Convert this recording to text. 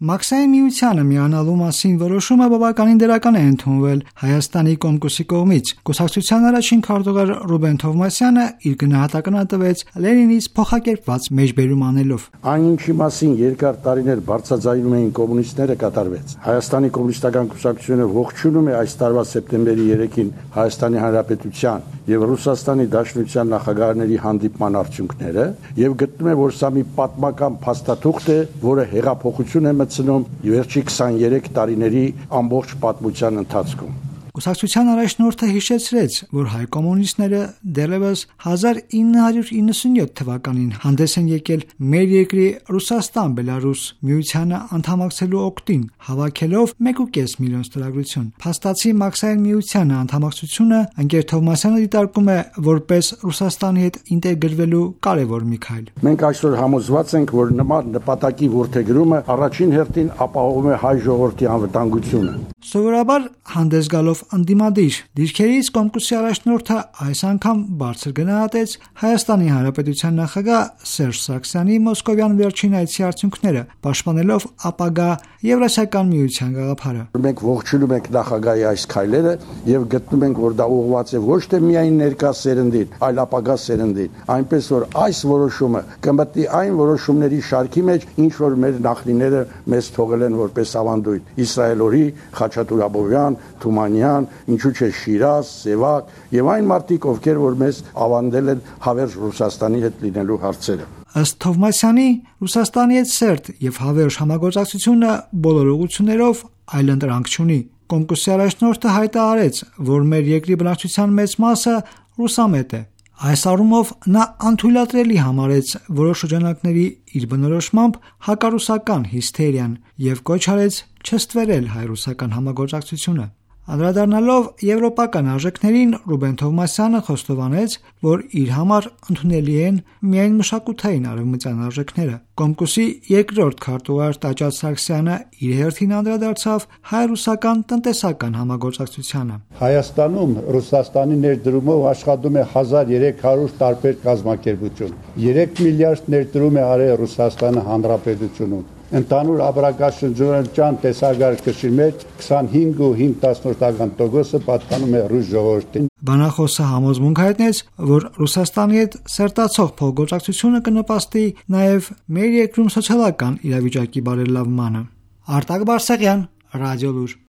Մաքսային միությանը միանալու մասին որոշումը բավականին դրական է ընդունվել Հայաստանի Կոմկուսի կողմից։ Կուսակցության առաջին քարտուղար Ռուբեն Թովմասյանը իր գնահատականը տվեց Լենինից փոխակերպված մեջբերում անելով. Այն ինչի մասին երկար տարիներ բարձրաձայնում էին կոմունիստները կատարվեց։ Հայաստանի կոմունիստական կուսակցությունը ողջունում է այս տարվա սեպտեմբերի 3-ին Հայաստանի Հանրապետության եւ Ռուսաստանի Դաշնության նախագահների հանդիպման արդյունքները եւ գտնում է, որ սա մի պատմական փաստաթուղթ է, որը հեղափոխություն է մտցնում վերջի 23 տարիների ամբողջ պատմության ընթացքում։ Կուսակցության առաջնորդը հիշեցրեց, որ հայ կոմունիստները դեռևս 1997 թվականին հանդես են եկել մեր երկրի Ռուսաստան-Բելարուս միությանը անդամակցելու օգտին, հավաքելով 1.5 միլիոն ստորագրություն։ Փաստացի Մաքսային միությանը անդամակցությունը ընկեր Թովմասյանը դիտարկում է որպես Ռուսաստանի հետ ինտեգրվելու կարևոր մի քայլ։ Մենք այսօր համոզված ենք, որ նման նպատակի որդեգրումը առաջին հերթին ապահովում է հայ ժողովրդի անվտանգությունը։ Սովորաբար հանդես գալով անդիմադիր դիրքերից Կոմկուսի առաջնորդը այս անգամ բարձր գնահատեց Հայաստանի Հանրապետության նախագահ Սերժ Սարգսյանի մոսկովյան վերջին այցի արդյունքները, պաշտպանելով ապագա Եվրասիական միության գաղափարը։ Մենք ողջունում ենք նախագահի այս քայլերը եւ գտնում ենք, որ դա ուղղված է ոչ թե միայն ներկա սերնդին, այլ ապագա սերնդին, այնպես որ այս որոշումը կմտնի այն որոշումների շարքի մեջ, ինչ որ մեր նախնիները մեզ թողել են որպես ավանդույթ։ Իսրայել օրի, Խաչատուր Աբովյան, Թումանյան, ինչու՞ չէ Շիրազ, Սևակ եւ այն մարդիկ, ովքեր որ մեզ ավանդել են հավերժ Ռուսաստանի հետ լինելու հարցերը։ Ըստ Թովմասյանի, Ռուսաստանի հետ սերտ եւ հավերժ համագործակցությունը բոլոր ուղղություններով այլընտրանք չունի։ Կոմկուսի առաջնորդը հայտարարեց, որ մեր երկրի բնակչության մեծ մասը ռուսամետ է։ Այս առումով նա անթույլատրելի համարեց որոշ շրջանակների իր բնորոշմամբ հակառուսական հիսթերիան եւ կոչ արեց չստվերել հայ-ռուսական համագործակցությունը։ Անդրադառնալով եվրոպական արժեքներին, Ռուբեն Թովմասյանը խոստովանեց, որ իր համար ընդունելի են միայն մշակութային արևմտյան արժեքները։ Կոմկուսի երկրորդ քարտուղար Տաճար Սարգսյանը իր հերթին անդրադարձավ հայ-ռուսական տնտեսական համագործակցությանը։ Հայաստանում Ռուսաստանի ներդրումով աշխատում է 1300 տարբեր կազմակերպություն։ 3 միլիարդ ներդրում է արել Ռուսաստանը Հանրապետությունում։ Ընդհանուր ապրանքաշրջանության տեսակարգի մեջ 25.5% պատկանում է ռուս ժողովրդին։ Բանախոսը համոզմունք հայտնեց, որ Ռուսաստանի հետ սերտացող փոխգործակցությունը կնպաստի նաև մեր երկրում սոցիալական իրավիճակի բարելավմանը։ Արտակ Բարսեղյան, Ռադիոլուր։